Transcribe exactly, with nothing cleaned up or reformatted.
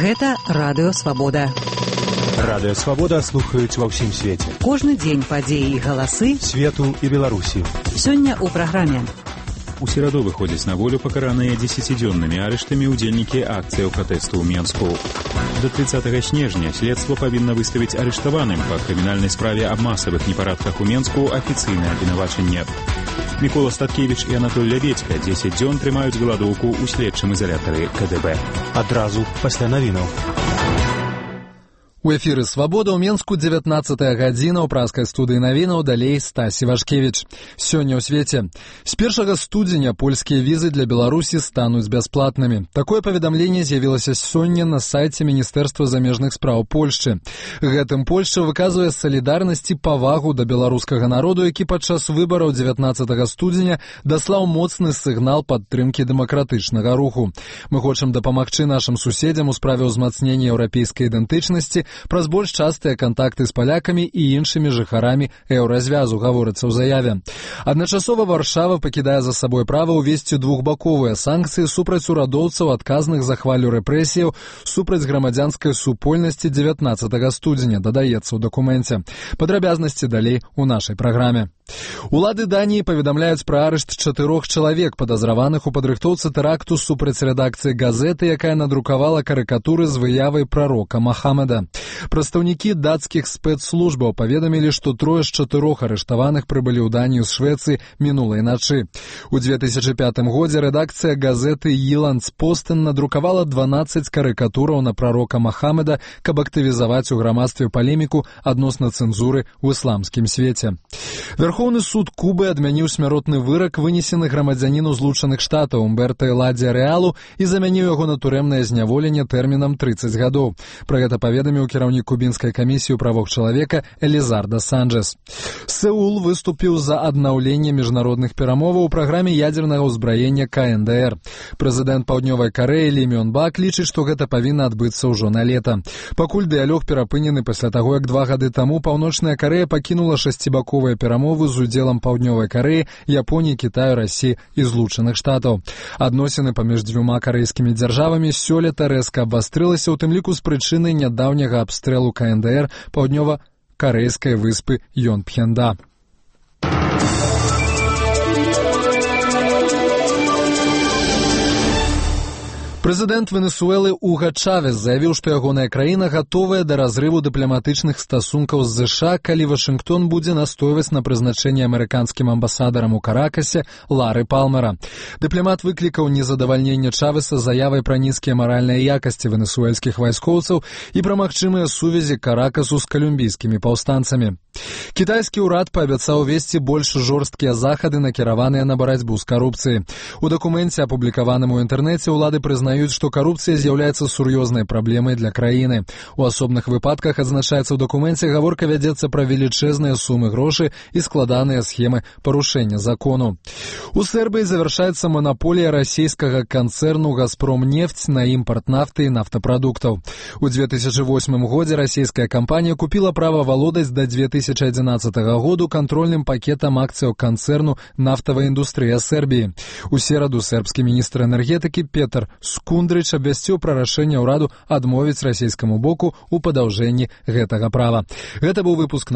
Гэта Радыё Свабода. Радыё Свабода слухаюць ва ўсім свеце. Кожны дзень падзеі і галасы свету і Беларусі. Сёння ў праграме. У сераду выходзяць на волю пакараныя дзесяцідзённымі арыштамі ўдзельнікі акцыяў пратэсту ў Менску. До тридцатага снежня следства павінна выставіць арыштаваным па крымінальнай справе аб масавых непарадках у Менску афіцыйнае абвінавачанне. Мікола Статкевіч і Анатоль Ляведзька дзесяць дзён трымаюць галадоўку ў следчым изалятары ка дэ бэ. Адразу пасля навінаў. У эфіры «Свабода» ў Менску дзевятнаццатая гадзіна, ў праскай студыі навінаў, далей Стась Івашкевіч. Сёння ў свеце. З першага студзеня польскія візы для Беларусі стануць бясплатнымі. Такое паведамленне з'явілася сёння на сайце Міністэрства замежных спраў Польшчы. Гэтым Польшча выказвае салідарнасць і павагу да беларускага народу, які падчас выбараў дзевятнаццатага студзеня даслаў моцны сігнал падтрымкі дэмакратычнага руху. Мы хочам дапамагчы нашым суседзям у справе ўзмацнення еўрапейскай ідэнтычнасці праз больш частыя кантакты з палякамі і іншымі жыхарамі еўразвязу, гаворыцца ў заяве. Адначасова Варшава пакідае за сабой права ўвесці двухбаковыя санкцыі супраць урадоўцаў, адказных за хвалю рэпрэсіяў супраць грамадзянскай супольнасці дзевятнаццатага студзеня, дадаецца ў дакуменце. Падрабязнасці далей у нашай праграме. Улады Даніі паведамляюць пра арышт чатырох чалавек, падазраваных у падрыхтоўцы тэракту супраць рэдакцыі газеты, якая надрукавала карыкатуры з выявай прарока Махамеда. Прадстаўнікі дацкіх спецслужбаў паведамілі, што трое з чатырох арыштаваных прыбылі ў Данію з Швецыі мінулай начы. У две тысячы пятым годзе рэдакцыя газеты «Йыландспостен» надрукавала дванаццаць карыкатураў на прарока Махамеда, каб актывізаваць у грамадстве палеміку адносна цэнзуры ў ісламскім свеце. Верховны суд Кубы адмяніў смяротны вырак, вынесены грамадзяніну Злучаных Штатаў Умберта Эладзія Рэалу, і замяніў яго на турэмнае зняволенне тэрмінам трыццаць гадоў. Пра гэта паведаміў кіраўнік кубінскай камісіі ў правах чалавека Элізарда Санчэс. Сеул выступіў за аднаўленне міжнародных перамоваў у праграме ядзернага ўзбраення ка эн дэ эр. Прэзідэнт Паўднёвай Карэі Лі Мён Бак лічыць, што гэта павінна адбыцца ўжо на лета. Пакуль дыялог перапынены пасля таго, як два гады таму Паўночная Карэя пакінула шасцібаковыя перамовы з удзелам Паўднёвай Карэі, Японіі, Кітаю, Расіі і Злучаных Штатаў. Адносіны паміж дзвюма карэйскімі дзяржавамі сёлета рэзка абвастрылася, у тым ліку з прычыны нядаўняга абстрэлу ка эн дэ эр паўднёва-карэйскай выспы Йонпхенда. Прэзідэнт Венесуэлы Уга Чавес заявіў, што ягоная краіна гатовая да разрыву дыпламатычных стасункаў з зэ ша, калі Вашынгтон будзе настойваць на прызначэнне амерыканскім амбасадарам у Каракасе Лары Палмера. Дыпламат выклікаў незадавальненне Чавеса заявай пра нізкія маральныя якасці венесуэльскіх вайскоўцаў і пра магчымыя сувязі Каракасу з калумбійскімі паўстанцамі. Кітайскі ўрад паабяцаў весці больш жорсткія захады, накіраваныя на барацьбу з карупцыяй. У дакуменце, апублікаваным у інтэрнэце, улады прызнаюць, што карупцыя з'яўляецца сур'ёзнай праблемай для краіны. У асобных выпадках, адзначаецца ў дакуменце, гаворка вядзецца пра велічэзныя сумы грошай і складаныя схемы парушэння закону. У Сербіі завяршаецца манаполія расійскага канцэрну «Газпромнефть» на імпарт нафты і нафтапрадуктаў. У две тысячы восьмым годзе расійская кампанія купіла права валодаць да две тысячы адзінаццатага году кантрольным пакетам акцыяў канцэрну «Нафтавая індустрыя Сербіі». У сераду сербскі міністр энергетыкі Петар Скундрыч абвясціў пра рашэнне ўраду адмовіць расійскаму боку ў падаўжэнні гэтага права. Гэта быў выпуск